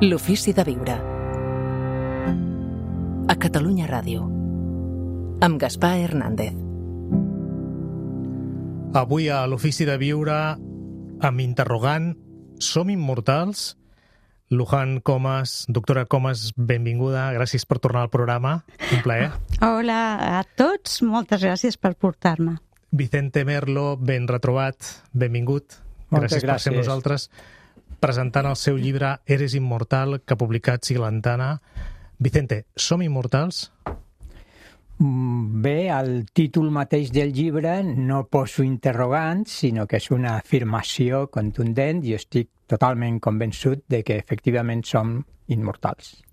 L'ofici de viure. A Catalunya Ràdio. Amb Gaspar Hernández. Avui a l'ofici de viure, amb interrogant, som immortals? Luján Comas, doctora Comas, benvinguda, gràcies per tornar al programa, un plaer. Hola a tots, moltes gràcies per portar-me. Vicente Merlo, ben retrobat, benvingut, gràcies per ser amb nosaltres, presentant el seu llibre Eres Inmortal, que ha publicat Siglantana. Vicente, som immortals? Bé, el títol mateix del llibre no poso interrogants, sinó que és una afirmació contundent i estic totalment convençut de que efectivament som immortals.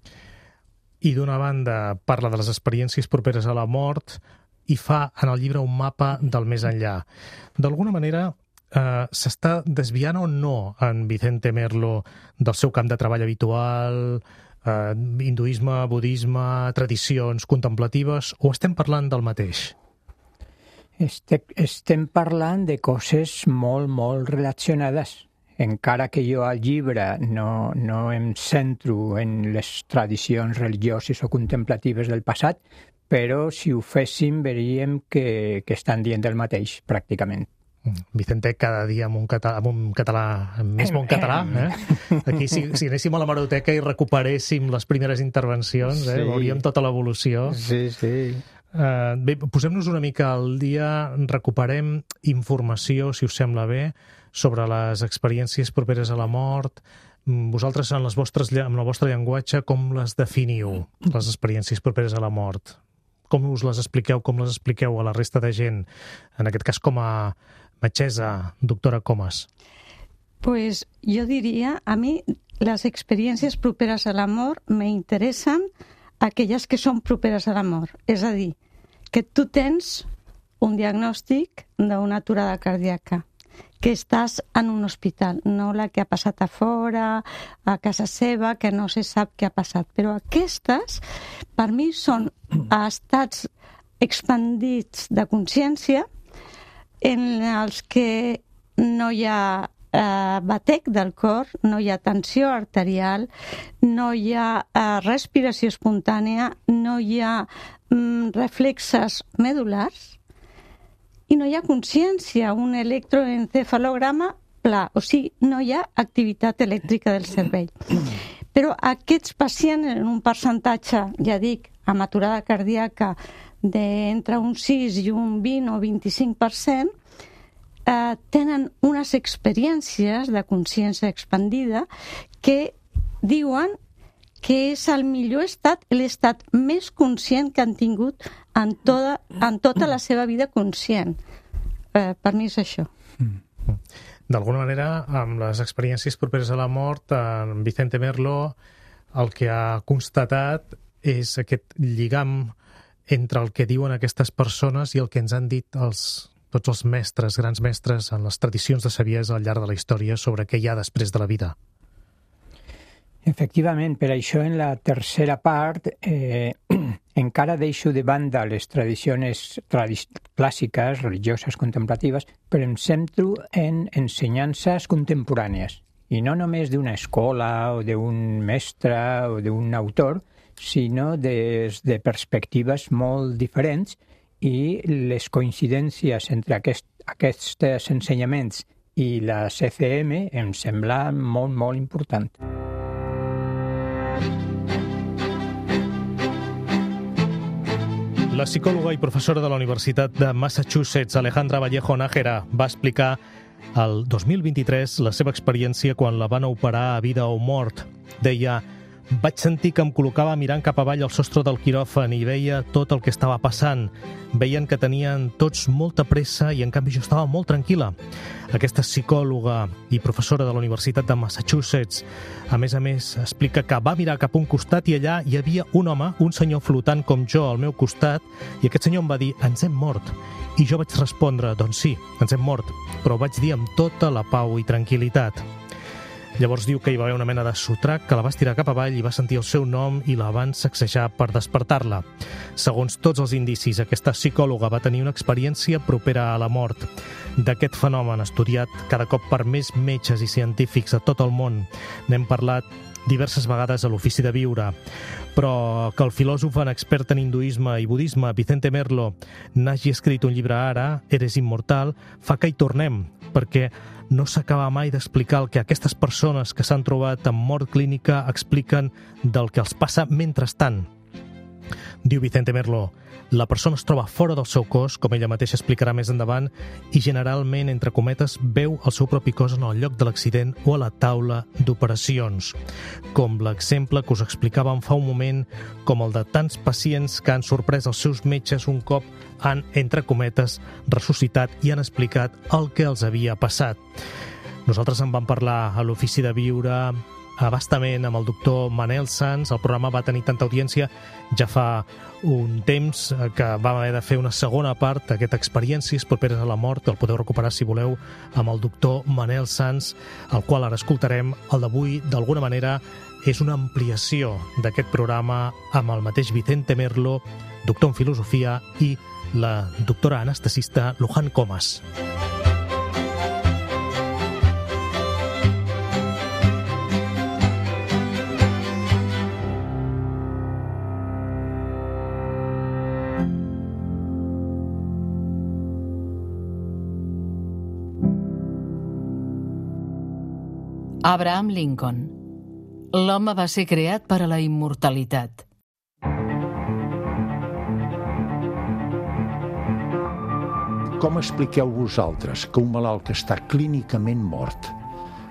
I d'una banda parla de les experiències properes a la mort i fa en el llibre un mapa del més enllà. D'alguna manera s'està desviant o no en Vicente Merlo del seu camp de treball habitual, hinduisme, budisme, tradicions contemplatives, o estem parlant del mateix? Estem parlant de coses molt relacionades. Encara que jo al llibre no em centro en les tradicions religioses o contemplatives del passat, però si ho féssim veuríem que estan dient el mateix, pràcticament. Vicente, cada dia amb un català més bon català. Aquí, si anéssim a l'hemeroteca i recuperéssim les primeres intervencions, veuríem tota l'evolució. Sí. Bé, posem-nos una mica al dia, recuperem informació, si us sembla bé, sobre les experiències properes a la mort. Vosaltres, amb el vostre llenguatge, com les definiu, les experiències properes a la mort? Com us les expliqueu, com les expliqueu a la resta de gent? En aquest cas, com a metgessa, doctora Comas. Pues jo diria, a mi les experiències properes a la mort m'interessen aquelles que són properes a la mort. És a dir, que tu tens un diagnòstic d'una aturada cardíaca, que estàs en un hospital, no la que ha passat a fora, a casa seva, que no se sap què ha passat. Però aquestes, per mi, són estats expandits de consciència en els que no hi ha batec del cor, no hi ha tensió arterial, no hi ha respiració espontània, no hi ha reflexes medulars i no hi ha consciència, un electroencefalograma pla, o sigui, no hi ha activitat elèctrica del cervell. Però aquests pacients, en un percentatge, ja dic, amb aturada cardíaca d'entre un 6 i un 20 o 25%, tenen unes experiències de consciència expandida que diuen que és el millor estat, l'estat més conscient que han tingut en tota la seva vida conscient. Per mi és això. D'alguna manera, amb les experiències properes a la mort, en Vicente Merlo el que ha constatat és aquest lligam entre el que diuen aquestes persones i el que ens han dit tots els mestres, grans mestres en les tradicions de saviesa al llarg de la història sobre què hi ha després de la vida. Efectivament, per això en la tercera part encara deixo de banda les tradicions clàssiques, religioses, contemplatives, però em centro en ensenyances contemporànies, i no només d'una escola o d'un mestre o d'un autor, sinó des de perspectives molt diferents, i les coincidències entre aquests ensenyaments i la CCM em sembla molt important. La psicòloga i professora de la Universitat de Massachusetts, Alejandra Vallejo Nájera, va explicar el 2023 la seva experiència quan la van operar a vida o mort. Deia: vaig sentir que em col·locava mirant cap avall al sostre del quiròfan i veia tot el que estava passant. Veien que tenien tots molta pressa i en canvi jo estava molt tranquil·la. Aquesta psicòloga i professora de la Universitat de Massachusetts, a més, explica que va mirar cap a un costat i allà hi havia un home, un senyor flotant com jo al meu costat, i aquest senyor em va dir: ens hem mort. I jo vaig respondre: doncs sí, ens hem mort, però ho vaig dir amb tota la pau i tranquil·litat. Llavors diu que hi va haver una mena de sotrac que la va estirar cap avall i va sentir el seu nom i la van sacsejar per despertar-la. Segons tots els indicis, aquesta psicòloga va tenir una experiència propera a la mort. D'aquest fenomen estudiat cada cop per més metges i científics a tot el món. N'hem parlat diverses vegades a l'Ofici de Viure, però que el filòsof expert en hinduisme i budisme Vicente Merlo n'hagi escrit un llibre ara, Eres immortal, fa que hi tornem, perquè no s'acaba mai d'explicar el que aquestes persones que s'han trobat amb mort clínica expliquen del que els passa mentrestant. Diu Vicente Merlo, la persona es troba fora del seu cos, com ella mateixa explicarà més endavant, i generalment, entre cometes, veu el seu propi cos en el lloc de l'accident o a la taula d'operacions. Com l'exemple que us explicàvem fa un moment, com el de tants pacients que han sorprès els seus metges un cop han, entre cometes, ressuscitat i han explicat el que els havia passat. Nosaltres en vam parlar a l'Ofici de Viure abastament amb el doctor Manel Sans. El programa va tenir tanta audiència ja fa un temps que vam haver de fer una segona part d'aquestes experiències properes a la mort. El podeu recuperar, si voleu, amb el doctor Manel Sans, el qual ara escoltarem. El d'avui, d'alguna manera, és una ampliació d'aquest programa amb el mateix Vicente Merlo, doctor en filosofia, i la doctora anestesista Luján Comas. Abraham Lincoln. L'home va ser creat per a la immortalitat. Com expliqueu vosaltres que un malalt que està clínicament mort,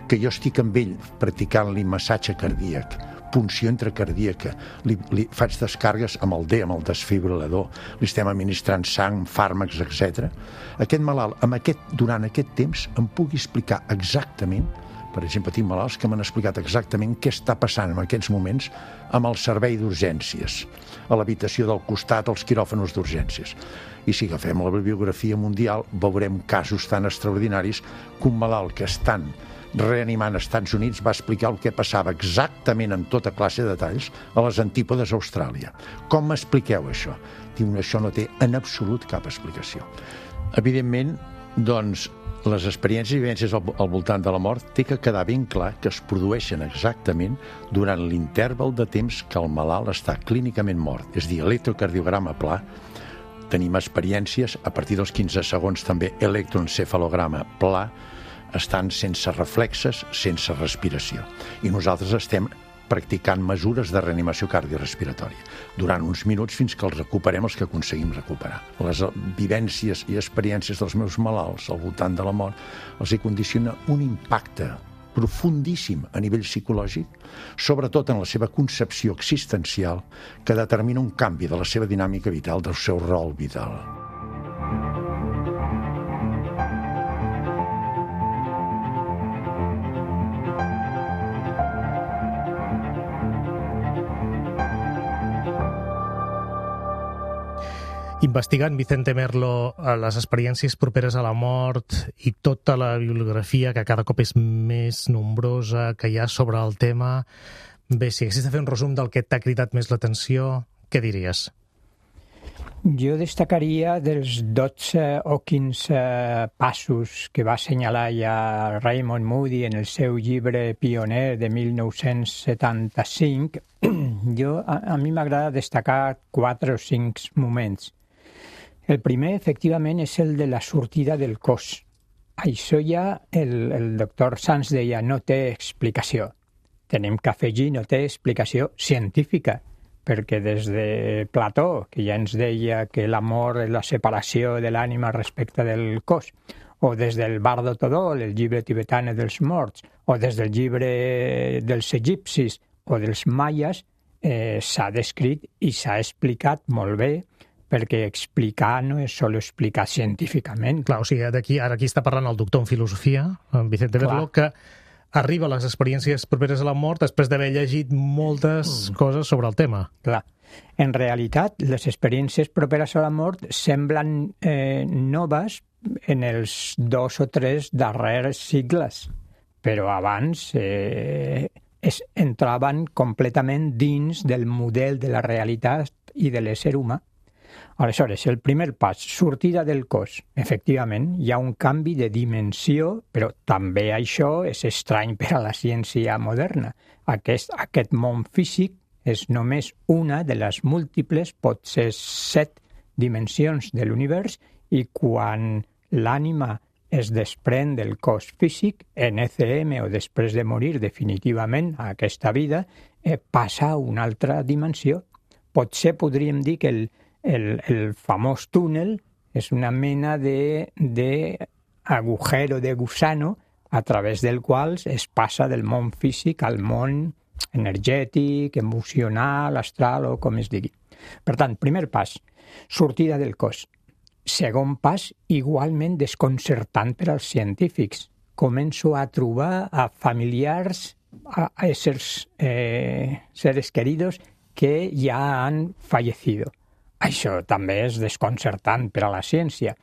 que jo estic amb ell practicant-li massatge cardíac, punció intracardíaca, li faig descàrregues amb el desfibrilador, li estem administrant sang, fàrmacs, etc. Aquest malalt, durant aquest temps, em pugui explicar exactament. Per exemple, tinc malalts que m'han explicat exactament què està passant en aquests moments amb el servei d'urgències, a l'habitació del costat, als quiròfans d'urgències. I si agafem la bibliografia mundial, veurem casos tan extraordinaris que un malalt que estan reanimant als Estats Units va explicar el que passava exactament en tota classe de detalls a les antípodes a Austràlia. Com m'expliqueu això? Diu, això no té en absolut cap explicació. Evidentment, doncs, les experiències i vivències al voltant de la mort té que quedar ben clar que es produeixen exactament durant l'interval de temps que el malalt està clínicament mort, és a dir, electrocardiograma pla. Tenim experiències, a partir dels 15 segons també electroencefalograma pla, estan sense reflexes, sense respiració. I nosaltres estem practicant mesures de reanimació cardiorrespiratòria durant uns minuts fins que els recuperem els que aconseguim recuperar. Les vivències i experiències dels meus malalts al voltant de la mort els hi condiciona un impacte profundíssim a nivell psicològic, sobretot en la seva concepció existencial, que determina un canvi de la seva dinàmica vital, del seu rol vital. Investigant Vicente Merlo les experiències properes a la mort i tota la bibliografia, que cada cop és més nombrosa, que hi ha sobre el tema, bé, si haguessis de fer un resum del que t'ha cridat més l'atenció, què diries? Jo destacaria dels 12 o 15 passos que va assenyalar ja Raymond Moody en el seu llibre pioner de 1975. A mi m'agrada destacar 4 o 5 moments. El primer, efectivament, és el de la sortida del cos. Això ja el doctor Sans deia no té explicació. Tenim que afegir no té explicació científica, perquè des de Plató, que ja ens deia que l'amor és la separació de l'ànima respecte del cos, o des del Bardo Todol, el llibre tibetà dels morts, o des del llibre dels egipcis o dels maies, s'ha descrit i s'ha explicat molt bé, perquè explicar no és sol explicar científicament. Clar, o sigui, ara aquí està parlant el doctor en filosofia, en Vicente Merlo, que arriba a les experiències properes a la mort després d'haver llegit moltes coses sobre el tema. Clar. En realitat, les experiències properes a la mort semblen noves en els 2 o 3 darrers sigles, però abans entraven completament dins del model de la realitat i de l'ésser humà. Aleshores, el primer pas, sortida del cos. Efectivament, hi ha un canvi de dimensió, però també això és estrany per a la ciència moderna. Aquest món físic és només una de les múltiples, pot ser 7 dimensions de l'univers, i quan l'ànima es desprèn del cos físic, en ECM o després de morir definitivament a aquesta vida, passa a una altra dimensió. Potser podríem dir que el famós túnel és una mena d'agujero de gusano a través del qual es passa del món físic al món energètic, emocional, astral o com es digui. Per tant, primer pas, sortida del cos. Segon pas, igualment desconcertant per als científics. Començo a trobar a familiars, a éssers seres queridos que ja han fallecido. Això també és desconcertant per a la ciència.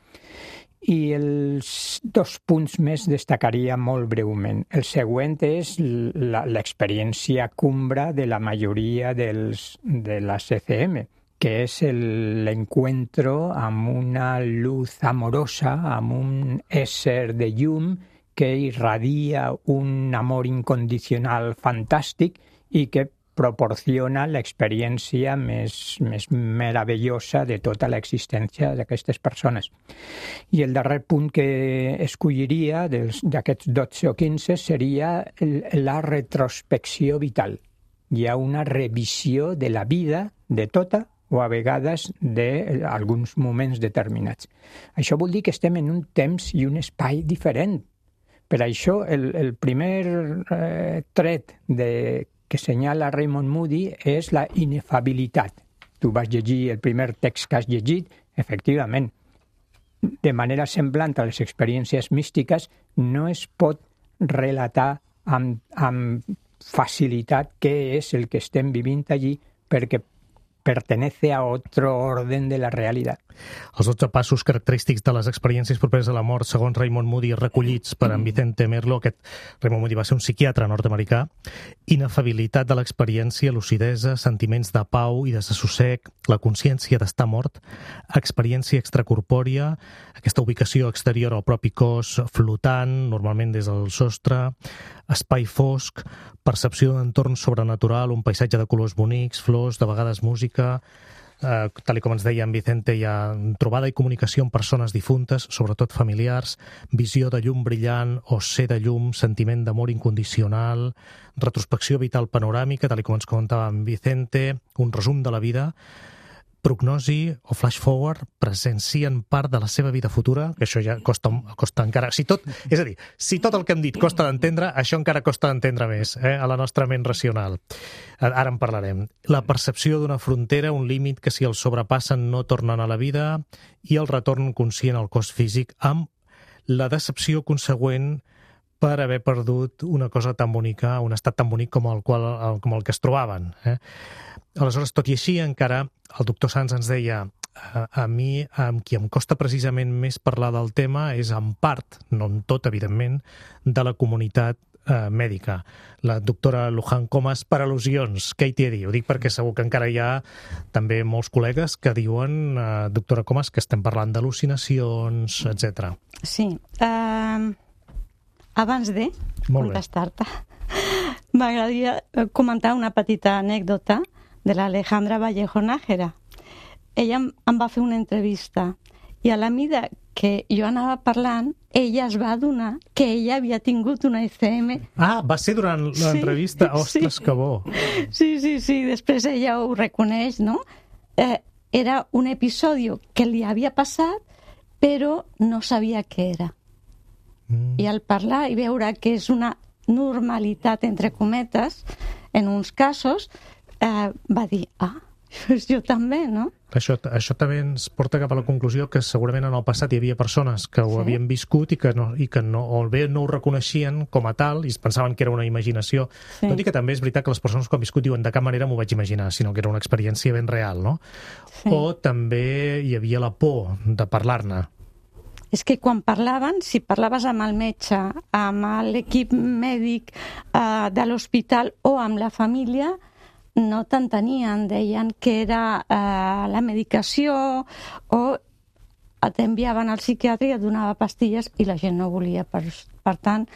I els 2 punts més destacaria molt breument. El següent és l'experiència cumbra de la majoria de les ECM, que és l'encuentro amb una luz amorosa, amb un ésser de llum que irradia un amor incondicional fantàstic i que proporciona l'experiència més meravellosa de tota l'existència d'aquestes persones. I el darrer punt que escolliria d'aquests 12 o 15 seria la retrospecció vital. Hi ha una revisió de la vida de tota o a vegades d'alguns moments determinats. Això vol dir que estem en un temps i un espai diferent. Per això, el primer tret que senyala Raymond Moody és la inefabilitat. Tu vas llegir el primer text que has llegit, efectivament. De manera semblant a les experiències místiques, no es pot relatar amb facilitat què és el que estem vivint allí, perquè pertenece a otro orden de la realitat. Els 12 passos característics de les experiències properes a la mort, segons Raymond Moody, recollits per en Vicente Merlo. Aquest Raymond Moody va ser un psiquiatre nord-americà. Inefabilitat de l'experiència, lucidesa, sentiments de pau i desassossec, la consciència d'estar mort, experiència extracorpòria, aquesta ubicació exterior al propi cos, flotant, normalment des del sostre, espai fosc, percepció d'entorn sobrenatural, un paisatge de colors bonics, flors, de vegades música, tal com ens deia en Vicente, hi ha trobada i comunicació amb persones difuntes, sobretot familiars, visió de llum brillant o ser de llum, sentiment d'amor incondicional, retrospecció vital panoràmica, tal com ens comentava en Vicente, un resum de la vida, prognosi o flash forward, presencien part de la seva vida futura, que això ja costa encara... És a dir, si tot el que hem dit costa d'entendre, això encara costa d'entendre més, a la nostra ment racional. Ara en parlarem. La percepció d'una frontera, un límit que si el sobrepassen no tornen a la vida, i el retorn conscient al cos físic, amb la decepció consegüent per haver perdut una cosa tan bonica, un estat tan bonic com el que es trobaven. Aleshores, tot i així, encara el doctor Sanz ens deia a mi, amb qui em costa precisament més parlar del tema és en part, no en tot, evidentment, de la comunitat mèdica. La doctora Luján Comas, per al·lusions, què hi té a dir? Ho dic perquè segur que encara hi ha també molts col·legues que diuen, doctora Comas, que estem parlant d'al·lucinacions, etc. Sí. Abans de contestar-te, m'agradaria comentar una petita anècdota de l'Alejandra Vallejo Nájera. Ella em va fer una entrevista i a la mida que jo anava parlant, ella es va adonar que ella havia tingut una ECM. Ah, va ser durant l'entrevista? Ostres, que bo! Sí, després ella ho reconeix, no? Era un episodi que li havia passat, però no sabia què era. I al parlar i veure que és una normalitat, entre cometes, en uns casos, va dir, jo també, no? Això també ens porta cap a la conclusió que segurament en el passat hi havia persones que ho havien viscut i que no ho reconeixien com a tal i es pensaven que era una imaginació. Tot i que també és veritat que les persones que han viscut diuen de cap manera m'ho vaig imaginar, sinó que era una experiència ben real, no? O també hi havia la por de parlar-ne. És que quan parlaven, si parlaves amb el metge, amb l'equip mèdic de l'hospital o amb la família, no t'entenien, deien que era la medicació o t'enviaven al psiquiatre i et donava pastilles i la gent no volia. Per tant,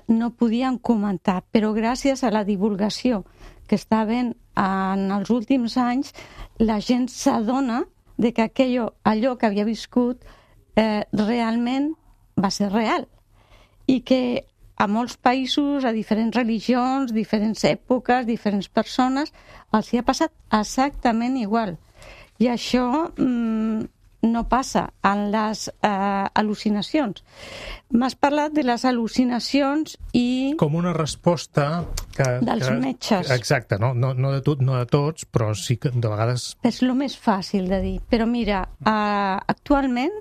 no podien comentar. Però gràcies a la divulgació que està havent en els últims anys, la gent s'adona de que allò que havia viscut realment va ser real i que a molts països, a diferents religions, diferents èpoques, diferents persones, els hi ha passat exactament igual. I això no passa en les al·lucinacions. M'has parlat de les al·lucinacions i... Com una resposta dels metges. Exacte, no de tots, però sí que de vegades... És el més fàcil de dir. Però mira, actualment,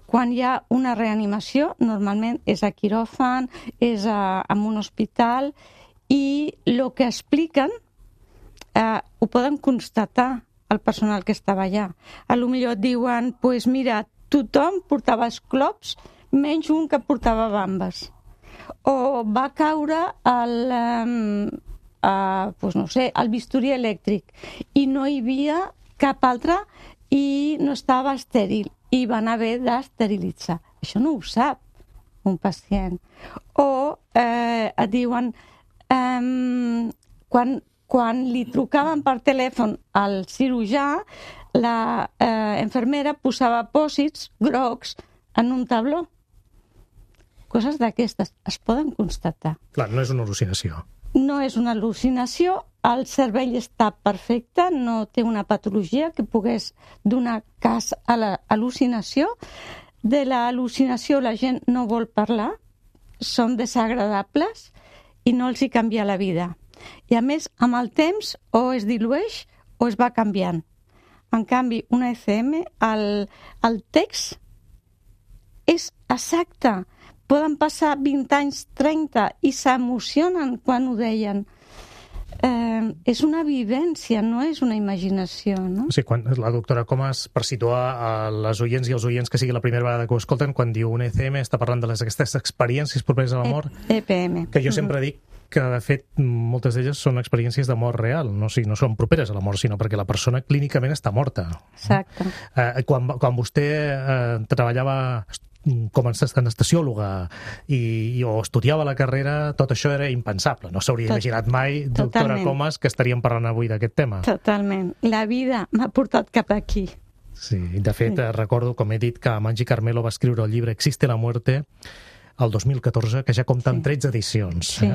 quan hi ha una reanimació, normalment és a quiròfan, és en un hospital, i el que expliquen ho poden constatar el personal que estava allà. A lo millor et diuen, pues mira, tothom portava esclops, menys un que portava bambes. O va caure el bisturí elèctric i no hi havia cap altre i no estava estèril i van haver d'esterilitzar. Això no ho sap un pacient. O et diuen, quan li trucaven per telèfon al cirurgià, la infermera posava pòsits grocs en un tabló. Coses d'aquestes es poden constatar. Clar, no és una al·lucinació. No és una al·lucinació, el cervell està perfecte, no té una patologia que pogués donar cas a l'al·lucinació. De l'al·lucinació la gent no vol parlar, són desagradables i no els hi canvia la vida. I a més, amb el temps, o es dilueix o es va canviant. En canvi, una ECM, el text és exacte. Poden passar 20 anys, 30, i s'emocionen quan ho deien. És una vivència, no és una imaginació, no? Sí, quan la doctora Comas, per situar a les oients i els oients que sigui la primera vegada que ho escolten, quan diu un ECM està parlant d'aquestes experiències properes a la mort, EPM. Que jo sempre dic que, de fet, moltes d'elles són experiències de mort real, no són properes a la mort, sinó perquè la persona clínicament està morta. Exacte. Quan vostè treballava com a anestesiòloga o estudiava la carrera, tot això era impensable. No s'hauria imaginat mai, doctora Comas, que estaríem parlant avui d'aquest tema. Totalment. La vida m'ha portat cap aquí. Sí, de fet, recordo, com he dit, que Maggi Carmelo va escriure el llibre Existe la muerte el 2014, que ja compta amb 13 edicions. Sí.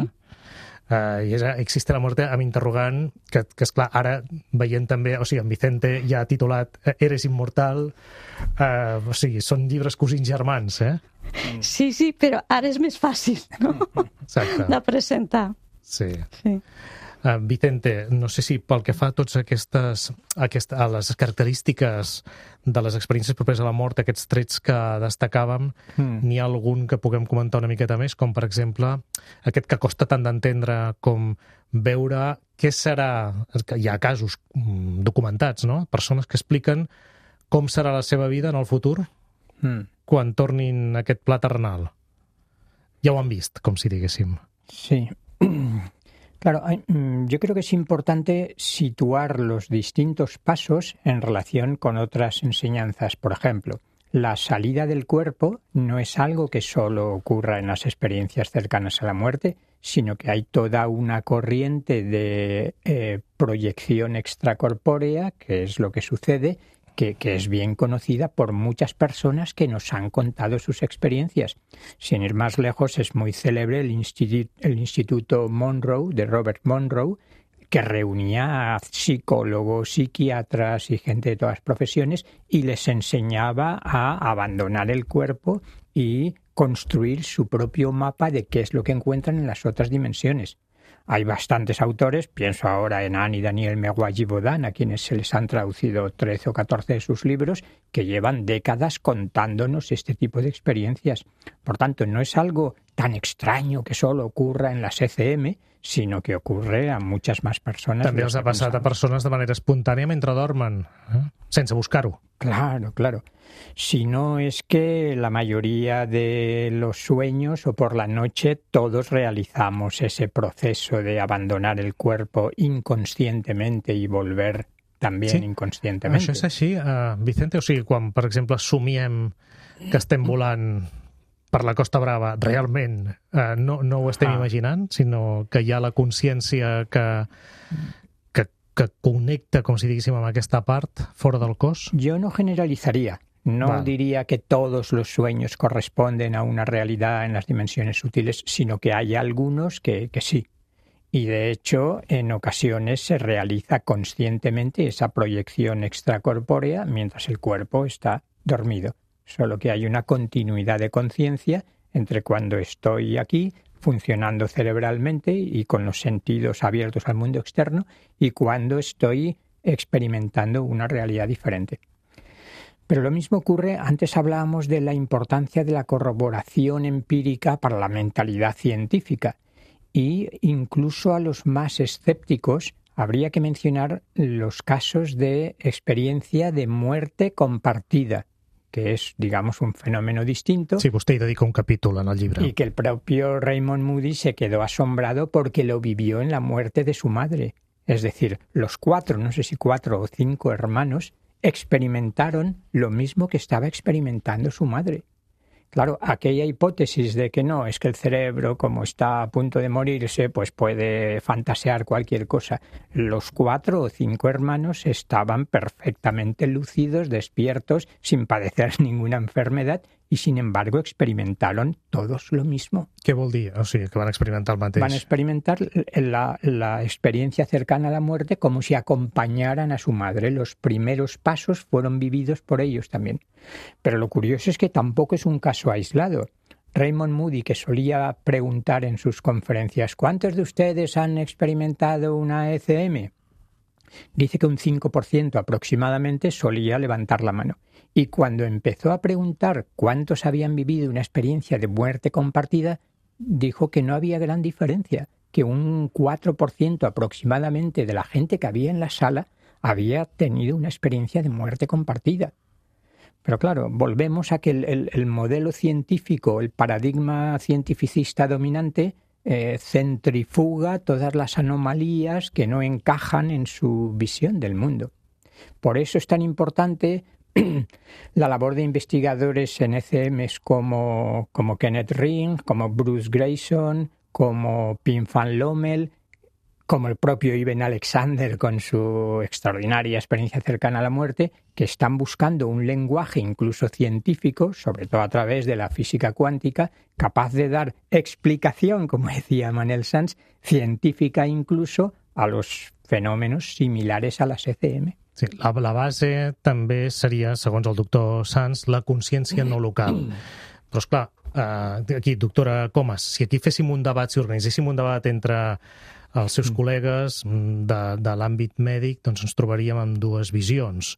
I és Existe la muerte amb interrogant, que esclar, ara veient també, o sigui, en Vicente ja ha titulat Eres inmortal, o sigui, són llibres cosins germans, Sí, però ara és més fàcil, no? Exacte. De presentar. Sí. Vicente, no sé si pel que fa a totes a les característiques de les experiències properes a la mort, aquests trets que destacàvem, n'hi ha algun que puguem comentar una miqueta més, com per exemple aquest que costa tant d'entendre com veure què serà, hi ha casos documentats, no? Persones que expliquen com serà la seva vida en el futur quan tornin a aquest pla terrenal. Ja ho han vist, com si diguéssim. Sí. Claro, yo creo que es importante situar los distintos pasos en relación con otras enseñanzas. Por ejemplo, la salida del cuerpo no es algo que solo ocurra en las experiencias cercanas a la muerte, sino que hay toda una corriente de proyección extracorpórea, que es lo que sucede, que es bien conocida por muchas personas que nos han contado sus experiencias. Sin ir más lejos, es muy célebre el Instituto Monroe, de Robert Monroe, que reunía a psicólogos, psiquiatras y gente de todas las profesiones y les enseñaba a abandonar el cuerpo y construir su propio mapa de qué es lo que encuentran en las otras dimensiones. Hay bastantes autores, pienso ahora en Anne y Daniel Megway-Bodan, a quienes se les han traducido 13 o 14 de sus libros, que llevan décadas contándonos este tipo de experiencias. Por tanto, no es algo tan extraño que solo ocurra en las ECM, sino que ocurre a muchas más personas. També els ha passat a persones de manera espontània mentre dormen. sense buscar-ho. Claro, claro. Si no es que la mayoría de los sueños o por la noche todos realizamos ese proceso de abandonar el cuerpo inconscientemente y volver también inconscientemente. Això és així, Vicente? O sigui, quan, per exemple, somiem que estem volant per la Costa Brava, realment no ho estem imaginant, sinó que hi ha la consciència que connecta, com si diguéssim, amb aquesta part fora del cos? Yo no generalizaría. No diría que todos los sueños corresponden a una realidad en las dimensiones sutiles, sino que hay algunos que sí. Y de hecho, en ocasiones se realiza conscientemente esa proyección extracorpórea mientras el cuerpo está dormido. Solo que hay una continuidad de conciencia entre cuando estoy aquí, funcionando cerebralmente y con los sentidos abiertos al mundo externo, y cuando estoy experimentando una realidad diferente. Pero lo mismo ocurre, antes hablábamos de la importancia de la corroboración empírica para la mentalidad científica, y incluso a los más escépticos habría que mencionar los casos de experiencia de muerte compartida, que es, digamos, un fenómeno distinto. Sí, vostè hi dedica un capítol en el llibre. Y que el propio Raymond Moody se quedó asombrado porque lo vivió en la muerte de su madre. Es decir, los 4, no sé si 4 o 5 hermanos, experimentaron lo mismo que estaba experimentando su madre. Claro, aquella hipótesis de que no, es que el cerebro, como está a punto de morirse, pues puede fantasear cualquier cosa. Los 4 o 5 hermanos estaban perfectamente lúcidos, despiertos, sin padecer ninguna enfermedad, y sin embargo experimentaron todos lo mismo. Què vol dir? O sigui, que van experimentar el mateix. Van experimentar la experiencia cercana a la muerte como si acompañaran a su madre. Los primeros pasos fueron vividos por ellos también. Pero lo curioso es que tampoco es un caso aislado. Raymond Moody, que solía preguntar en sus conferencias, ¿cuántos de ustedes han experimentado una ECM? Dice que un 5% aproximadamente solía levantar la mano. Y cuando empezó a preguntar cuántos habían vivido una experiencia de muerte compartida, dijo que no había gran diferencia, que un 4% aproximadamente de la gente que había en la sala había tenido una experiencia de muerte compartida. Pero claro, volvemos a que el modelo científico, el paradigma cientificista dominante, centrifuga todas las anomalías que no encajan en su visión del mundo. Por eso es tan importante la labor de investigadores en ECMs como Kenneth Ring, como Bruce Grayson, como Pim van Lommel, como el propio Ivan Alexander con su extraordinaria experiencia cercana a la muerte, que están buscando un lenguaje incluso científico, sobre todo a través de la física cuántica, capaz de dar explicación, como decía Manuel Sanz, científica incluso a los fenómenos similares a las ECM. Sí, la base també seria, segons el doctor Sanz, la consciència no local. Però, esclar, aquí, doctora Comas, si aquí féssim un debat, si organitzéssim un debat entre els seus col·legues de l'àmbit mèdic, doncs ens trobaríem amb dues visions.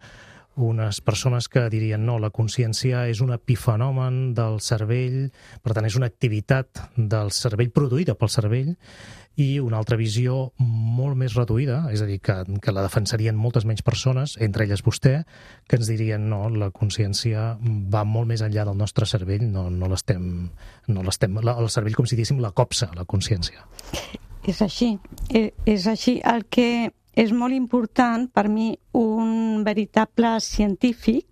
Unes persones que dirien no, la consciència és un epifenomen del cervell, per tant és una activitat del cervell produïda pel cervell, i una altra visió molt més reduïda, és a dir, que la defensarien moltes menys persones, entre elles vostè, que ens dirien no, la consciència va molt més enllà del nostre cervell, el cervell, com si diguéssim, la copsa, la consciència. És així. És així. El que és molt important per mi, un veritable científic,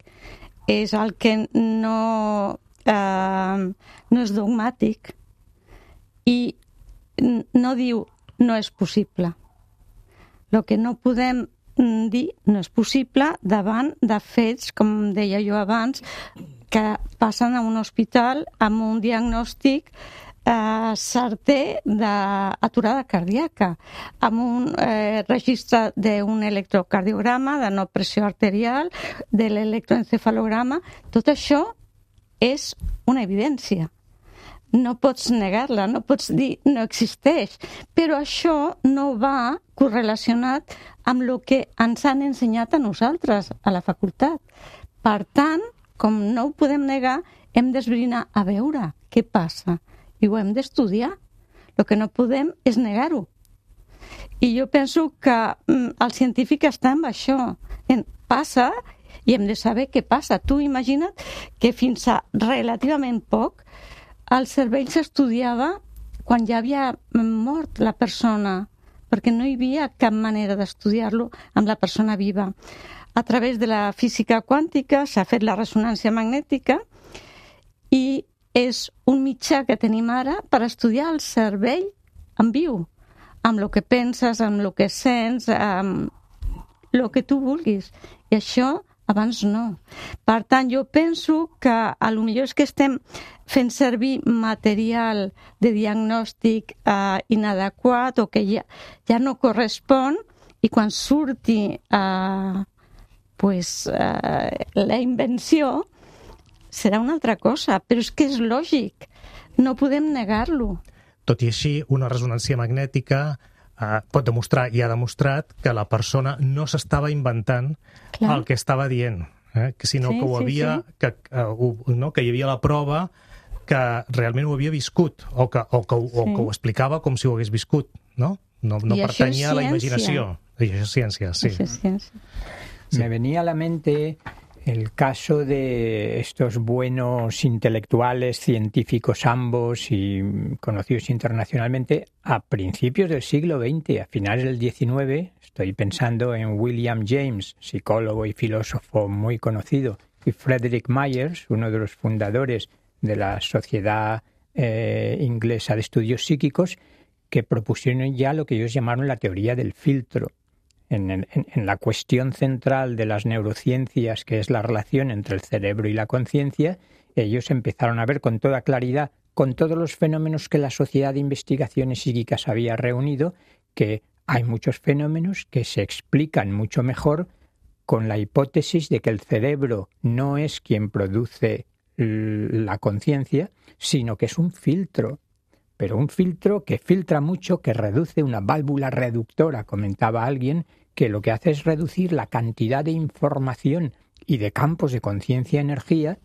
és el que no és dogmàtic i no diu no és possible. El que no podem dir no és possible davant de fets, com deia jo abans, que passen a un hospital amb un diagnòstic certer d'aturada cardíaca, amb un registre d'un electrocardiograma, de no pressió arterial, de l'electroencefalograma. Tot això és una evidència. No pots negar-la, no pots dir no existeix, però això no va correlacionat amb el que ens han ensenyat a nosaltres, a la facultat. Per tant, com no ho podem negar, hem d'esbrinar a veure què passa i ho hem d'estudiar. El que no podem és negar-ho. I jo penso que el científic està amb això. Passa i hem de saber què passa. Tu imagina't que fins a relativament poc el cervell s'estudiava quan ja havia mort la persona, perquè no hi havia cap manera d'estudiar-lo amb la persona viva. A través de la física quàntica s'ha fet la ressonància magnètica i és un mitjà que tenim ara per estudiar el cervell en viu, amb el que penses, amb el que sents, amb el que tu vulguis. I això abans no. Per tant, jo penso que a lo millor és que estem fent servir material de diagnòstic inadequat o que ja no correspon, i quan surti la invenció serà una altra cosa, però és que és lògic, no podem negar-lo. Tot i així, una ressonància magnètica pot demostrar, i ha demostrat, que la persona no s'estava inventant el que estava dient, sinó que ho havia, que hi havia la prova que realment ho havia viscut, o que ho explicava com si ho hagués viscut, no? No pertanyia a la imaginació. I això és ciència, sí. Me venía a la mente el caso de estos buenos intelectuales, científicos ambos y conocidos internacionalmente a principios del siglo XX, a finales del XIX. Estoy pensando en William James, psicólogo y filósofo muy conocido, y Frederick Myers, uno de los fundadores de la Sociedad Inglesa de Estudios Psíquicos, que propusieron ya lo que ellos llamaron la teoría del filtro. En la cuestión central de las neurociencias, que es la relación entre el cerebro y la conciencia, ellos empezaron a ver con toda claridad, con todos los fenómenos que la Sociedad de Investigaciones Psíquicas había reunido, que hay muchos fenómenos que se explican mucho mejor con la hipótesis de que el cerebro no es quien produce la conciencia, sino que es un filtro. Pero un filtro que filtra mucho, que reduce, una válvula reductora, comentaba alguien, que lo que hace es reducir la cantidad de información y de campos de conciencia-energía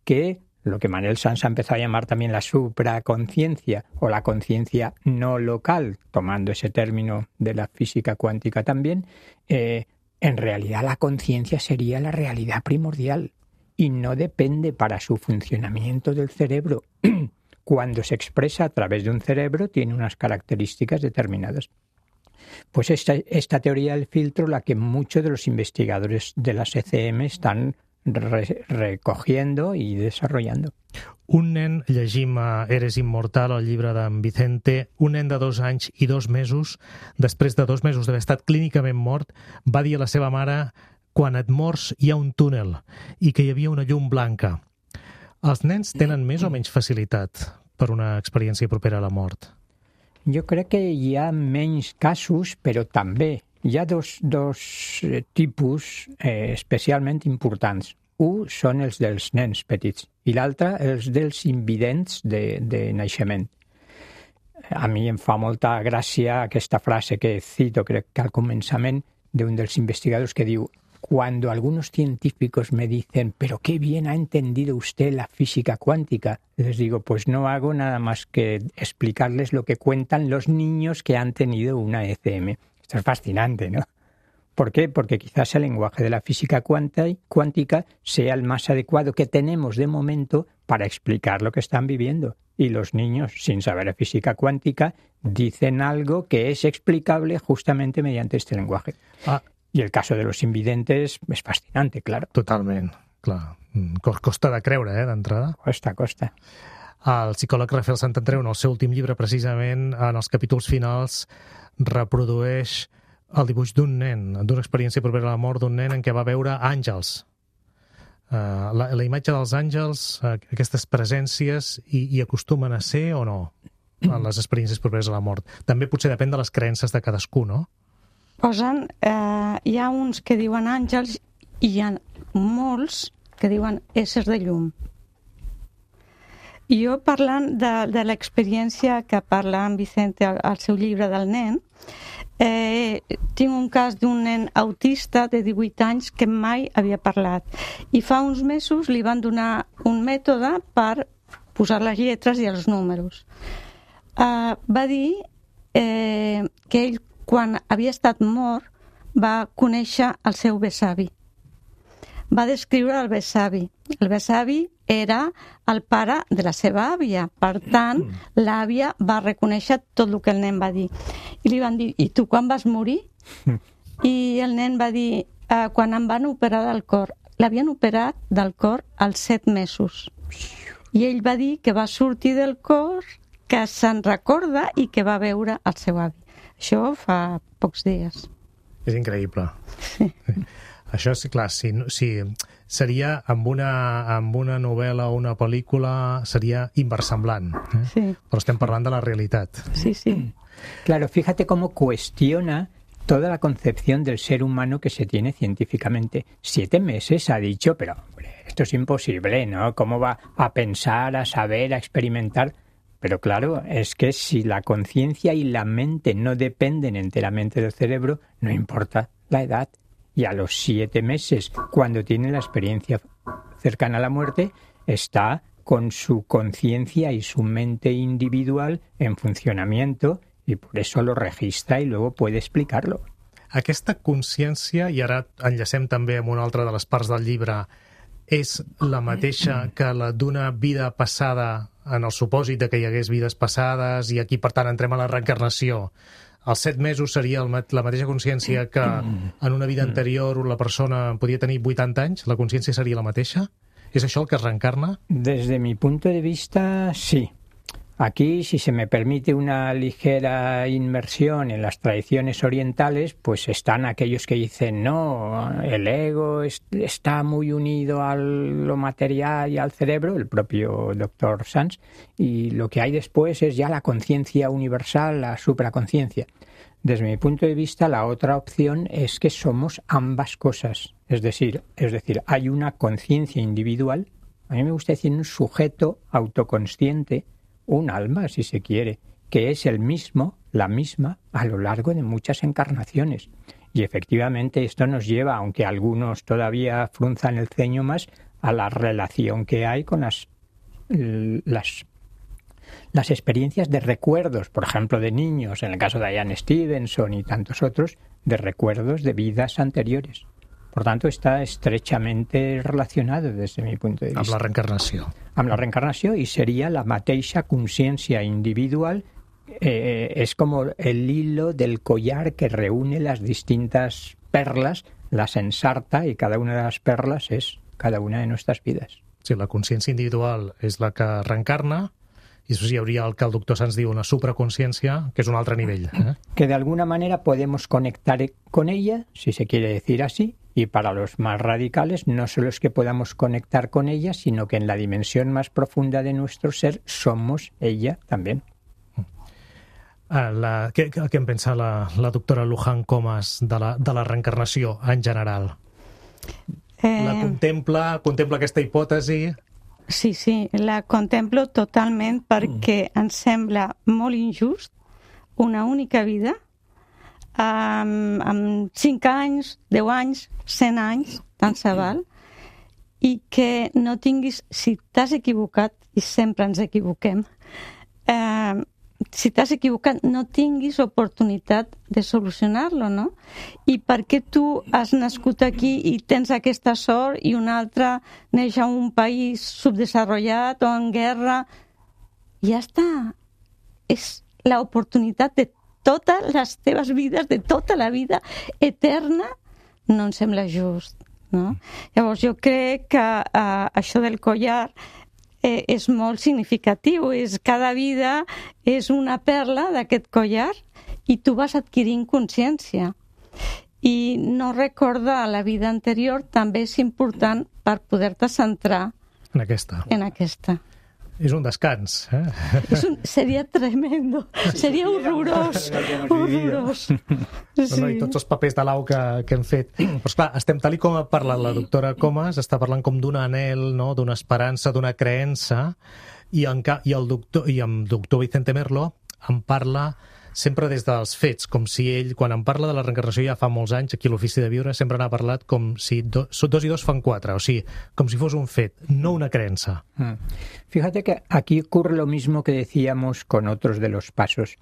que lo que Manuel Sanz ha empezado a llamar también la supraconciencia o la conciencia no local, tomando ese término de la física cuántica también, en realidad la conciencia sería la realidad primordial y no depende para su funcionamiento del cerebro. Cuando se expresa a través de un cerebro tiene unas características determinadas. Pues esta teoría del filtro, la que muchos de los investigadores de las ECM están recogiendo i desarrollando. Un nen, llegim a Eres immortal, el llibre d'en Vicente, un nen de 2 anys i 2 mesos, després de 2 mesos d'haver estat clínicament mort, va dir a la seva mare: quan et mors hi ha un túnel i que hi havia una llum blanca. Els nens tenen més o menys facilitat per una experiència propera a la mort? Jo crec que hi ha menys casos, però també hi ha dos tipus especialment importants. Un són els dels nens petits i l'altre els dels invidents de naixement. A mi em fa molta gràcia aquesta frase que cito, crec que al començament, d'un dels investigadors que diu: cuando algunos científicos me dicen, pero qué bien ha entendido usted la física cuántica, les digo, pues no hago nada más que explicarles lo que cuentan los niños que han tenido una ECM. Esto es fascinante, ¿no? ¿Por qué? Porque quizás el lenguaje de la física cuántica sea el más adecuado que tenemos de momento para explicar lo que están viviendo. Y los niños, sin saber física cuántica, dicen algo que es explicable justamente mediante este lenguaje. I el cas de los invidentes és fascinante, claro. Totalment, clar. Costa de creure, d'entrada. Costa. El psicòleg Rafael Santandreu, en el seu últim llibre, precisament, en els capítols finals, reprodueix el dibuix d'un nen, d'una experiència propera a la mort d'un nen en què va veure àngels. La imatge dels àngels, aquestes presències, hi acostumen a ser o no, en les experiències properes a la mort? També potser depèn de les creences de cadascú, no? Hi ha uns que diuen àngels i hi ha molts que diuen éssers de llum. I jo, parlant de l'experiència que parla en Vicente al seu llibre del nen, tinc un cas d'un nen autista de 18 anys que mai havia parlat. I fa uns mesos li van donar un mètode per posar les lletres i els números. Va dir que ell, quan havia estat mort, va conèixer el seu besavi. va descriure el besavi. El besavi era el pare de la seva àvia. Per tant, l'àvia va reconèixer tot el que el nen va dir. I li van dir, i tu quan vas morir? I el nen va dir, quan em van operar del cor. L'havien operat del cor als 7 mesos. I ell va dir que va sortir del cor, que se'n recorda i que va veure el seu avi. Això fa pocs dies. És increïble. Sí. Això, sí, clar, si seria amb una novel·la o una pel·lícula, seria inversemblant. Sí. Però estem parlant de la realitat. Sí, sí. Claro, fíjate cómo cuestiona toda la concepción del ser humano que se tiene científicamente. 7 meses ha dicho, pero hombre, esto es imposible, ¿no? ¿Cómo va a pensar, a saber, a experimentar? Pero claro, es que si la conciencia y la mente no dependen enteramente del cerebro, no importa la edad. Y a los 7 meses, cuando tiene la experiencia cercana a la muerte, está con su conciencia y su mente individual en funcionamiento y por eso lo registra y luego puede explicarlo. Aquesta consciència, i ara enllacem també amb una altra de les parts del llibre, és la mateixa que la d'una vida passada, en el supòsit de que hi hagués vides passades, i aquí, per tant, entrem a la reencarnació. Els 7 mesos seria la mateixa consciència que en una vida anterior la persona podia tenir 80 anys? La consciència seria la mateixa? És això el que es reencarna? Desde mi punto de vista, sí. Aquí, si se me permite una ligera inmersión en las tradiciones orientales, pues están aquellos que dicen, no, el ego está muy unido a lo material y al cerebro, el propio Dr. Sands, y lo que hay después es ya la conciencia universal, la supraconciencia. Desde mi punto de vista, la otra opción es que somos ambas cosas. Es decir, hay una conciencia individual, a mí me gusta decir un sujeto autoconsciente, un alma, si se quiere, que es el mismo, la misma, a lo largo de muchas encarnaciones. Y efectivamente esto nos lleva, aunque algunos todavía frunzan el ceño más, a la relación que hay con las experiencias de recuerdos, por ejemplo, de niños, en el caso de Ian Stevenson y tantos otros, de recuerdos de vidas anteriores. Por tant, està estrechamente relacionado des de mi punt de vista. Amb la reencarnació. Amb la reencarnació, i seria la mateixa consciència individual, es como el hilo del collar que reúne las distintas perlas, las ensarta, y cada una de las perlas es cada una de nuestras vidas. Sí, la consciència individual és la que reencarna, i això hi hauria el que el doctor Sands diu una supraconsciència, que és un altre nivell. Que de alguna manera podemos conectar con ella, si se quiere decir así, y para los más radicales no solo es que podamos conectar con ella, sino que en la dimensión más profunda de nuestro ser somos ella también. Què en pensa la doctora Luján Comas de la reencarnació en general? La contempla aquesta hipòtesi? Sí, la contemplo totalment perquè em sembla molt injust una única vida amb 5 anys, 10 anys, 100 anys, tant se val, i que no tinguis, si t'has equivocat, i sempre ens equivoquem, si t'has equivocat no tinguis oportunitat de solucionar-lo, no? I perquè tu has nascut aquí i tens aquesta sort i un altre neix a un país subdesenvolupat o en guerra, ja està. És l'oportunitat de totes les teves vides, de tota la vida eterna, no em sembla just, no? Llavors jo crec que això del collar és molt significatiu, cada vida és una perla d'aquest collar i tu vas adquirint consciència. I no recordar la vida anterior també és important per poder-te centrar en aquesta. És un descans. Seria tremendo, seria horrorós. Sí. I tots els papers de l'au que hem fet. Però esclar, estem tal com ha parlat la doctora Comas, està parlant com d'un anhel, no? D'una esperança, d'una creença, i amb doctor Vicente Merlo em parla sempre des dels fets, com si ell, quan em parla de la reencarnació ja fa molts anys, aquí a l'Ofici de Viure, sempre n'ha parlat com si 2 i 2 fan 4, o sigui, com si fos un fet, no una creença. Fíjate que aquí ocurre lo mismo que decíamos con otros de los pasos.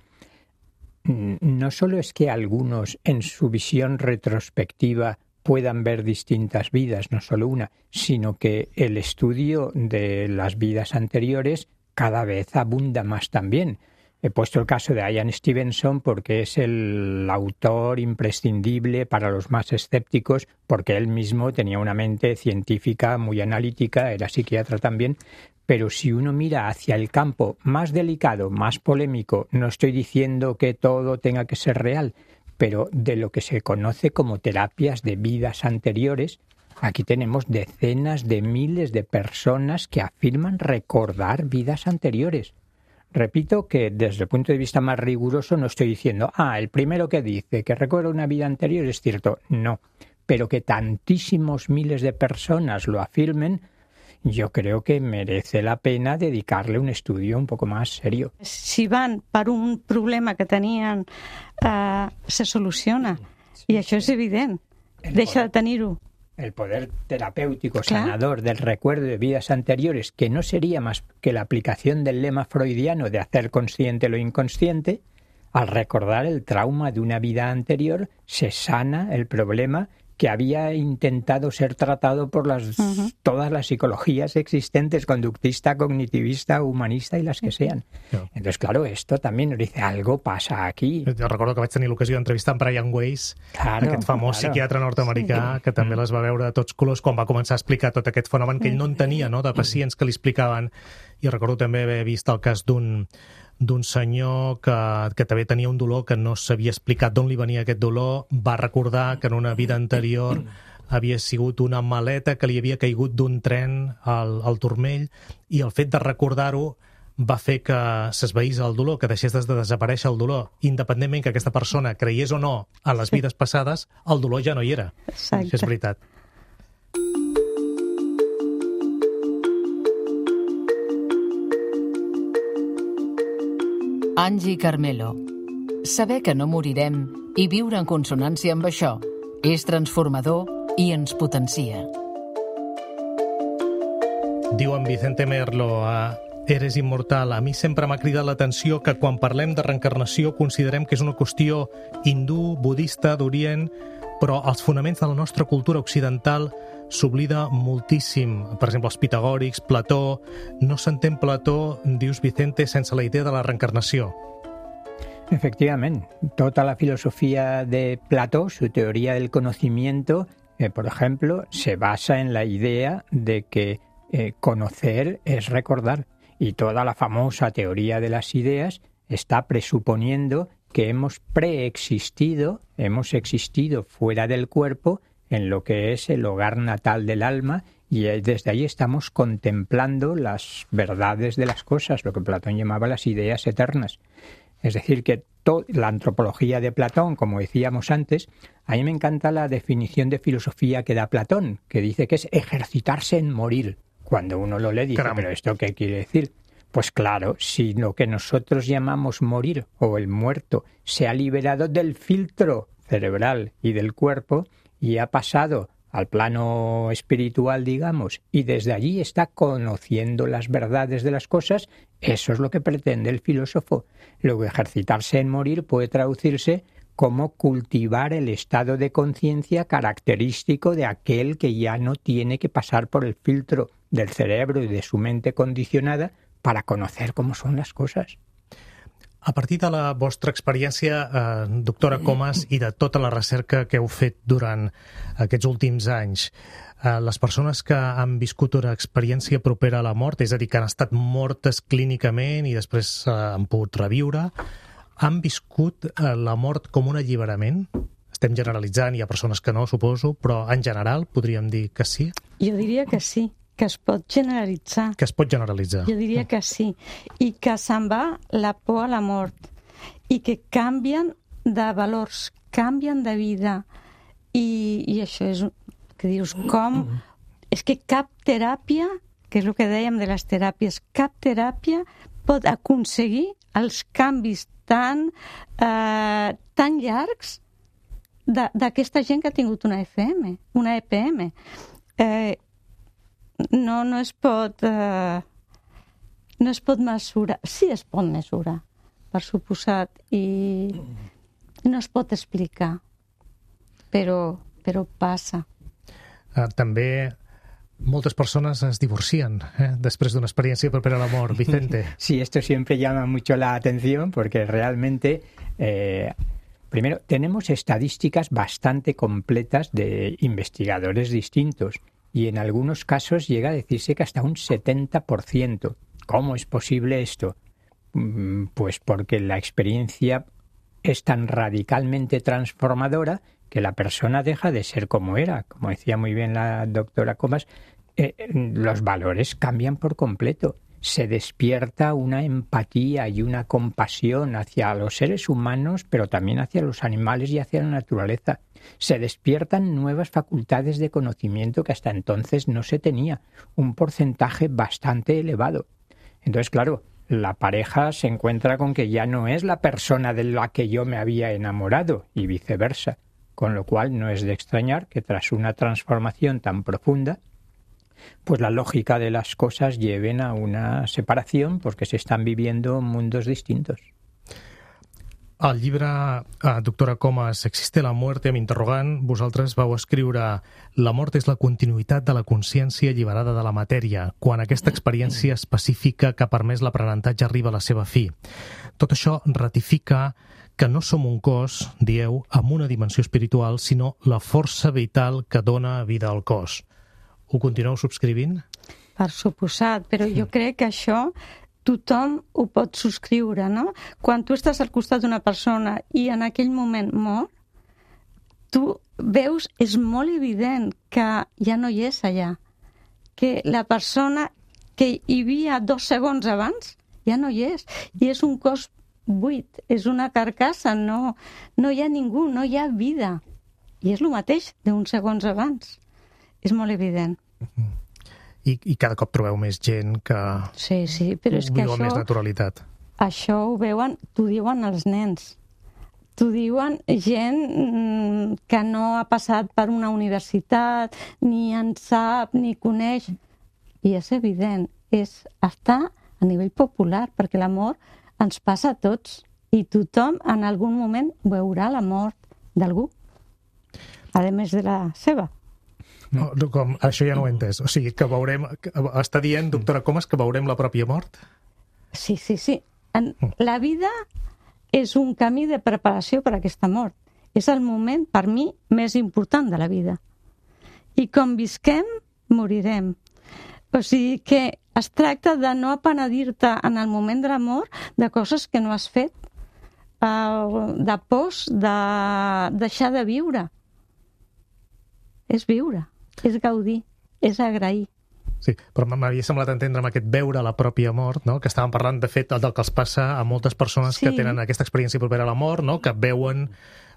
No solo es que algunos, en su visión retrospectiva, puedan ver distintas vidas, no solo una, sino que el estudio de las vidas anteriores cada vez abunda más también. He puesto el caso de Ian Stevenson porque es el autor imprescindible para los más escépticos, porque él mismo tenía una mente científica muy analítica, era psiquiatra también, pero si uno mira hacia el campo más delicado, más polémico, no estoy diciendo que todo tenga que ser real, pero de lo que se conoce como terapias de vidas anteriores, aquí tenemos decenas de miles de personas que afirman recordar vidas anteriores. Repito que desde el punto de vista más riguroso no estoy diciendo, el primero que dice que recuerda una vida anterior es cierto, no, pero que tantísimos miles de personas lo afirmen, yo creo que merece la pena dedicarle un estudio un poco más serio. Si van per un problema que tenien, se soluciona, i això és evident, deixa de tenir-ho. El poder terapéutico sanador del recuerdo de vidas anteriores, que no sería más que la aplicación del lema freudiano de hacer consciente lo inconsciente, al recordar el trauma de una vida anterior, se sana el problema que había intentado ser tratado por todas las psicologías existentes, conductista, cognitivista, humanista y las que sean. Entonces, claro, esto también nos dice, algo pasa aquí. Jo recordo que vaig tenir l'ocasió d'entrevistar en Brian Weiss, aquest famós psiquiatre nord-americà, que també les va veure de tots colors quan va començar a explicar tot aquest fenomen que ell no entenia, no?, de pacients que li explicaven. I recordo també haver vist el cas d'un senyor que també tenia un dolor que no s'havia explicat d'on li venia aquest dolor, va recordar que en una vida anterior havia sigut una maleta que li havia caigut d'un tren al turmell, i el fet de recordar-ho va fer que s'esvaís el dolor, que deixés de desaparèixer el dolor. Independentment que aquesta persona creiés o no en les vides passades, el dolor ja no hi era. Exacte. Això és veritat. Angie Carmelo. Saber que no morirem i viure en consonància amb això és transformador i ens potencia. Diu en Vicente Merlo a Eres immortal. A mi sempre m'ha cridat l'atenció que quan parlem de reencarnació considerem que és una qüestió hindú, budista, d'Orient, però als fonaments de la nostra cultura occidental s'oblida moltíssim. Per exemple, els pitagòrics, Plató. No s'entén Plató, dius Vicente, sense la idea de la reencarnació. Efectivamente, toda la filosofía de Platón, su teoría del conocimiento, por ejemplo, se basa en la idea de que conocer es recordar. Y toda la famosa teoría de las ideas está presuponiendo que hemos preexistido, hemos existido fuera del cuerpo en lo que es el hogar natal del alma, y desde ahí estamos contemplando las verdades de las cosas, lo que Platón llamaba las ideas eternas. Es decir, que la antropología de Platón, como decíamos antes, a mí me encanta la definición de filosofía que da Platón, que dice que es ejercitarse en morir. Cuando uno lo lee dice, ¿pero esto qué quiere decir? Pues claro, si lo que nosotros llamamos morir o el muerto se ha liberado del filtro cerebral y del cuerpo y ha pasado al plano espiritual, digamos, y desde allí está conociendo las verdades de las cosas, eso es lo que pretende el filósofo. Luego, ejercitarse en morir puede traducirse como cultivar el estado de conciencia característico de aquel que ya no tiene que pasar por el filtro del cerebro y de su mente condicionada para conocer cómo son las cosas. A partir de la vostra experiència, doctora Comas, i de tota la recerca que heu fet durant aquests últims anys, les persones que han viscut una experiència propera a la mort, és a dir, que han estat mortes clínicament i després han pogut reviure, han viscut la mort com un alliberament? Estem generalitzant, hi ha persones que no, suposo, però en general podríem dir que sí? Jo diria que sí, que es pot generalitzar. Que es pot generalitzar. Jo diria que sí. I que se'n va la por a la mort. I que canvien de valors, canvien de vida. I això és que dius, com... És que cap teràpia, que és el que dèiem de les teràpies, cap teràpia pot aconseguir els canvis tan llargs d'aquesta gent que ha tingut una EPM. No es pot mesurar. Sí es pot mesurar, per suposat, i no es pot explicar. Però però passa. També moltes persones es divorcien després d'una experiencia propera a la mort. Vicente. Sí, esto siempre llama mucho la atención porque realmente, primero, tenemos estadísticas bastante completas de investigadores distintos y en algunos casos llega a decirse que hasta un 70%. ¿Cómo es posible esto? Pues porque la experiencia es tan radicalmente transformadora que la persona deja de ser como era. Como decía muy bien la doctora Comas, los valores cambian por completo. Se despierta una empatía y una compasión hacia los seres humanos, pero también hacia los animales y hacia la naturaleza. Se despiertan nuevas facultades de conocimiento que hasta entonces no se tenía, un porcentaje bastante elevado. Entonces, claro, la pareja se encuentra con que ya no es la persona de la que yo me había enamorado y viceversa, con lo cual no es de extrañar que tras una transformación tan profunda, pues la lógica de las cosas lleven a una separación porque se están viviendo mundos distintos. Al llibre, doctora Comas, Existe la muerte, amb interrogant, vosaltres vau escriure la mort és la continuïtat de la consciència alliberada de la matèria, quan aquesta experiència específica que ha permès l'aprenentatge arriba a la seva fi. Tot això ratifica que no som un cos, dieu, amb una dimensió espiritual, sinó la força vital que dona vida al cos. Ho continueu subscrivint? Per suposat, però jo crec que això tothom ho pot subscriure, no? Quan tu estàs al costat d'una persona i en aquell moment mor, tu veus, és molt evident que ja no hi és allà, que la persona que hi havia 2 segons abans ja no hi és, i és un cos buit, és una carcassa, no hi ha ningú, no hi ha vida, i és el mateix d'uns segons abans, és molt evident. I cada cop trobeu més gent que sí, però és que viu amb més naturalitat. Això ho veuen, t'ho diuen els nens. T'ho diuen gent que no ha passat per una universitat, ni en sap, ni coneix. I és evident, està a nivell popular, perquè la mort ens passa a tots. I tothom en algun moment veurà la mort d'algú, a més de la seva. No, com, això ja no ho he entès. O sigui, que veurem... Està dient, doctora Comas, que veurem la pròpia mort? Sí. La vida és un camí de preparació per a aquesta mort. És el moment, per mi, més important de la vida. I com visquem, morirem. O sigui que es tracta de no apenedir-te en el moment de la mort de coses que no has fet, de pors, de deixar de viure. És viure. És gaudir, és agrair. Sí, però m'havia semblat entendre amb aquest veure la pròpia mort, no? Que estàvem parlant, de fet, del que els passa a moltes persones que tenen aquesta experiència propera a la mort, no? Que veuen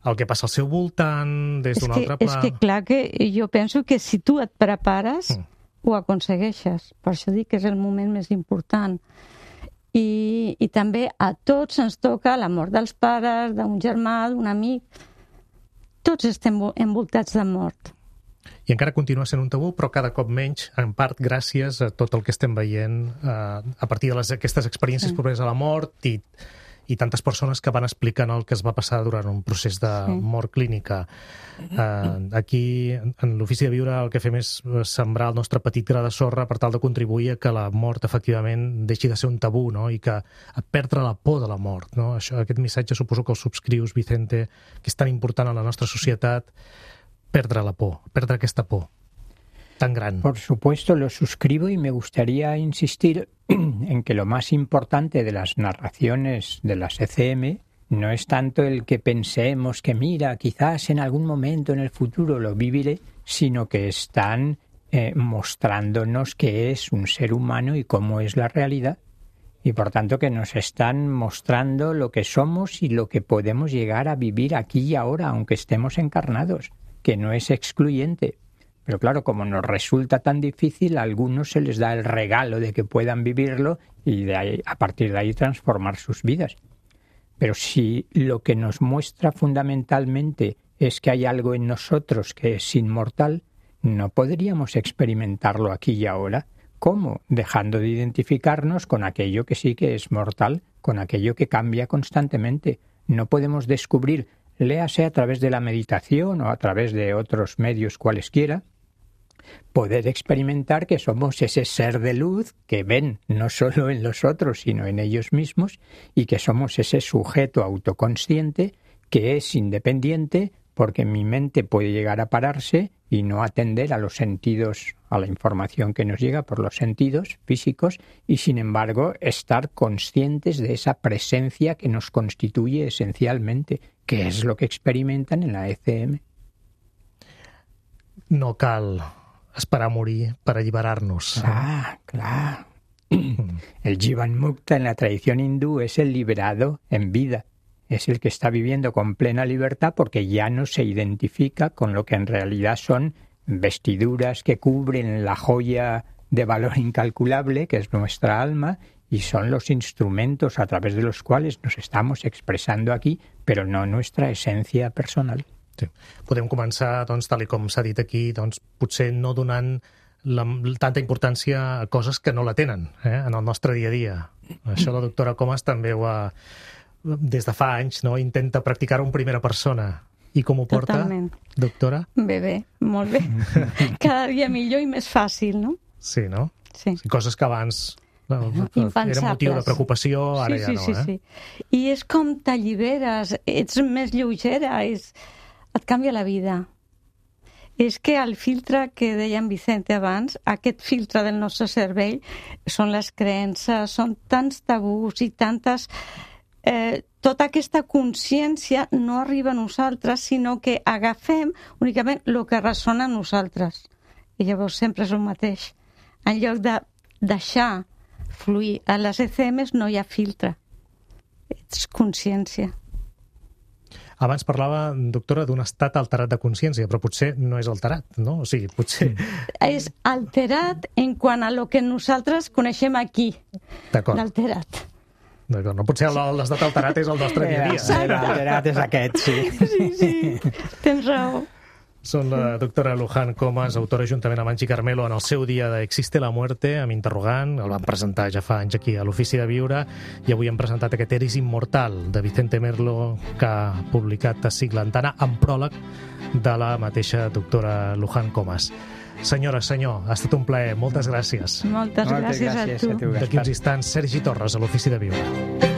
el que passa al seu voltant des d'un altre pla. És que clar que jo penso que si tu et prepares, ho aconsegueixes. Per això dic que és el moment més important. I també a tots ens toca la mort dels pares, d'un germà, d'un amic. Tots estem envoltats de mort. I encara continua sent un tabú, però cada cop menys, en part gràcies a tot el que estem veient a partir d'aquestes experiències properes a la mort i tantes persones que van explicant el que es va passar durant un procés de mort clínica. Aquí, en l'Ofici de Viure, el que fem és sembrar el nostre petit gra de sorra per tal de contribuir a que la mort, efectivament, deixi de ser un tabú, no? I que a perdre la por de la mort, no? Aquest missatge suposo que el subscrius, Vicente, que és tan important en la nostra societat, perdre la por, perdre aquesta por tan gran. Por supuesto, lo suscribo y me gustaría insistir en que lo más importante de las narraciones de las ECM no es tanto el que pensemos que mira, quizás en algún momento en el futuro lo viviré, sino que están mostrándonos qué es un ser humano y cómo es la realidad. Y por tanto que nos están mostrando lo que somos y lo que podemos llegar a vivir aquí y ahora, aunque estemos encarnados, que no es excluyente. Pero claro, como nos resulta tan difícil, a algunos se les da el regalo de que puedan vivirlo y de ahí, a partir de ahí transformar sus vidas. Pero si lo que nos muestra fundamentalmente es que hay algo en nosotros que es inmortal, no podríamos experimentarlo aquí y ahora. ¿Cómo? Dejando de identificarnos con aquello que sí que es mortal, con aquello que cambia constantemente. No podemos descubrir léase a través de la meditación o a través de otros medios cualesquiera, poder experimentar que somos ese ser de luz que ven no solo en los otros, sino en ellos mismos, y que somos ese sujeto autoconsciente que es independiente, porque mi mente puede llegar a pararse y no atender a los sentidos, a la información que nos llega por los sentidos físicos, y sin embargo estar conscientes de esa presencia que nos constituye esencialmente, que es lo que experimentan en la ECM. No cal esperar a morir per alliberar-nos. Clar. El Jivan Mukta en la tradición hindú es el liberado en vida. Es el que está viviendo con plena libertad porque ya no se identifica con lo que en realidad son vestiduras que cubren la joya de valor incalculable que es nuestra alma, y son los instrumentos a través de los cuales nos estamos expresando aquí, pero no nuestra esencia personal. Sí. Podem començar, doncs, tal com s'ha dit aquí, doncs, potser no donant tanta importància a coses que no la tenen en el nostre dia a dia. Això la doctora Comas també ho ha, des de fa anys, no? Intenta practicar-ho en primera persona. I com ho porta, Totalment. doctora? Bé, molt bé. Cada dia millor i més fàcil, no? Sí, no? Sí. Coses que abans Impensables. era motiu de preocupació, ara ja no. Sí. I és com t'alliberes, ets més lleugera, et canvia la vida. És que el filtre que deia en Vicente abans, aquest filtre del nostre cervell, són les creences, són tants tabús i tantes... tota aquesta consciència no arriba a nosaltres, sinó que agafem únicament el que ressona a nosaltres. I llavors sempre és el mateix. En lloc de deixar fluir a les ECMs no hi ha filtre. És consciència. Abans parlava, doctora, d'un estat alterat de consciència, però potser no és alterat, no? O sigui, potser... És alterat en quant a lo que nosaltres coneixem aquí. D'acord. L'alterat. D'acord, no pot ser l'estat alterat és el nostre dia a dia. L'alterat és aquest, sí. Sí, tens raó. Són la doctora Luján Comas, autora juntament amb Angie Carmelo en el seu dia de Existe la muerte, amb interrogant, el van presentar ja fa anys aquí a l'Ofici de Viure, i avui hem presentat aquest Eris Immortal de Vicente Merlo, que ha publicat a Siglantana, amb pròleg de la mateixa doctora Luján Comas. Senyora, senyor, ha estat un plaer. Moltes gràcies. Moltes gràcies a tu. D'aquí uns instants, Sergi Torres, a l'Ofici de Viure.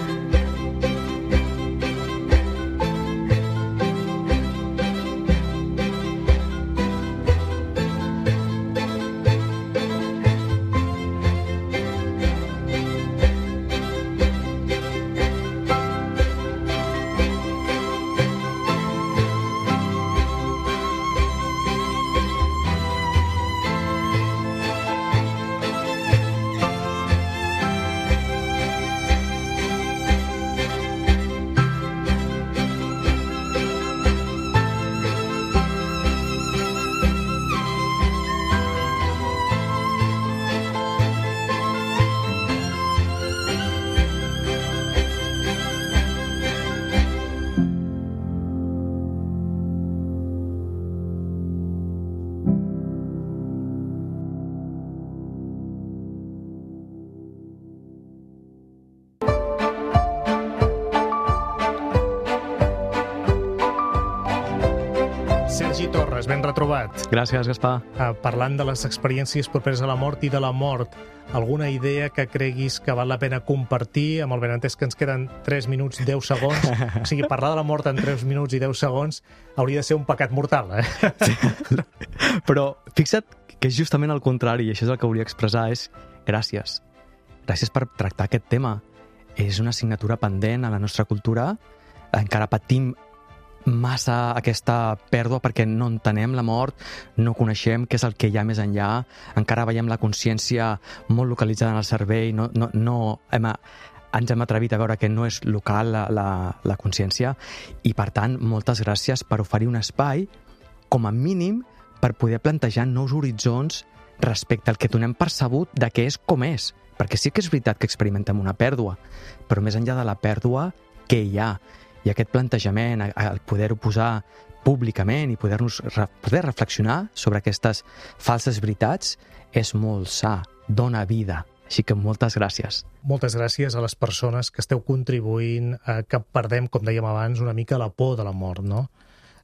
Sergi Torres, ben retrobat. Gràcies, Gaspar. Parlant de les experiències properes a la mort i de la mort, alguna idea que creguis que val la pena compartir, amb el benentès que ens queden 3 minuts 10 segons? O sigui, parlar de la mort en 3 minuts i 10 segons hauria de ser un pecat mortal, Sí. Però fixa't que és justament el contrari, i això és el que volia expressar, és gràcies. Gràcies per tractar aquest tema. És una assignatura pendent a la nostra cultura. Encara patim massa aquesta pèrdua perquè no entenem la mort, no coneixem què és el que hi ha més enllà, encara veiem la consciència molt localitzada en el cervell, ens hem atrevit a veure que no és local la consciència, i per tant moltes gràcies per oferir un espai com a mínim per poder plantejar nous horitzons respecte al que donem percebut de què és com és, perquè sí que és veritat que experimentem una pèrdua, però més enllà de la pèrdua, què hi ha? I aquest plantejament, el poder-ho posar públicament i poder reflexionar sobre aquestes falses veritats és molt sa, dona vida. Així que moltes gràcies. Moltes gràcies a les persones que esteu contribuint a que perdem, com dèiem abans, una mica la por de la mort, no?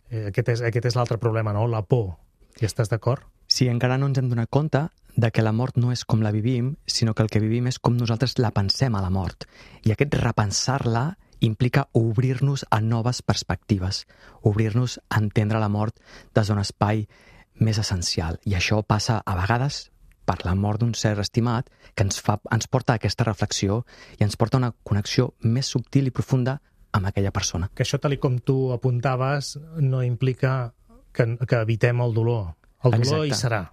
Aquest és l'altre problema, no? La por. Hi estàs d'acord? Sí, encara no ens hem donat compte de que la mort no és com la vivim, sinó que el que vivim és com nosaltres la pensem a la mort. I aquest repensar-la implica obrir-nos a noves perspectives, obrir-nos a entendre la mort des d'un espai més essencial. I això passa a vegades per la mort d'un ser estimat, que ens porta a aquesta reflexió i ens porta a una connexió més subtil i profunda amb aquella persona. Que això, tal com tu apuntaves, no implica que evitem el dolor. El dolor hi serà.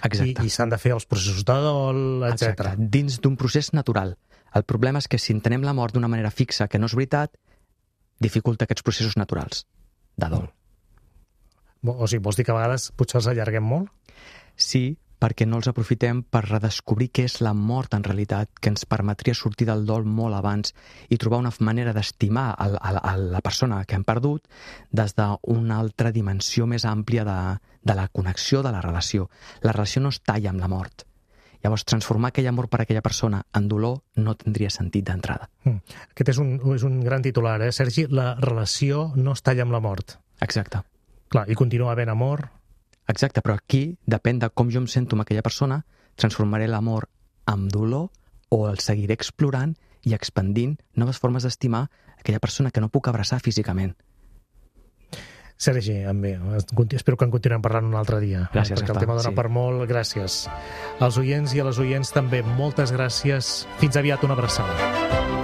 Exacte. I s'han de fer els processos de dol, etc. Exacte. Dins d'un procés natural. El problema és que si entenem la mort d'una manera fixa, que no és veritat, dificulta aquests processos naturals de dol. O sigui, vols dir que a vegades potser els allarguem molt? Sí, perquè no els aprofitem per redescobrir què és la mort en realitat, que ens permetria sortir del dol molt abans i trobar una manera d'estimar a la persona que hem perdut des d'una altra dimensió més àmplia de la connexió de la relació. La relació no es talla amb la mort. Llavors, transformar aquell amor per aquella persona en dolor no tindria sentit d'entrada. Aquest és un gran titular, Sergi? La relació no es talla amb la mort. Exacte. Clar, i continua havent amor. Exacte, però aquí depèn de com jo em sento amb aquella persona, transformaré l'amor en dolor o el seguiré explorant i expandint noves formes d'estimar aquella persona que no puc abraçar físicament. Sergi, espero que en continuem parlant un altre dia. Gràcies, perquè el tema dona per molt. Gràcies. Als oients i a les oients també, moltes gràcies. Fins aviat, una abraçada.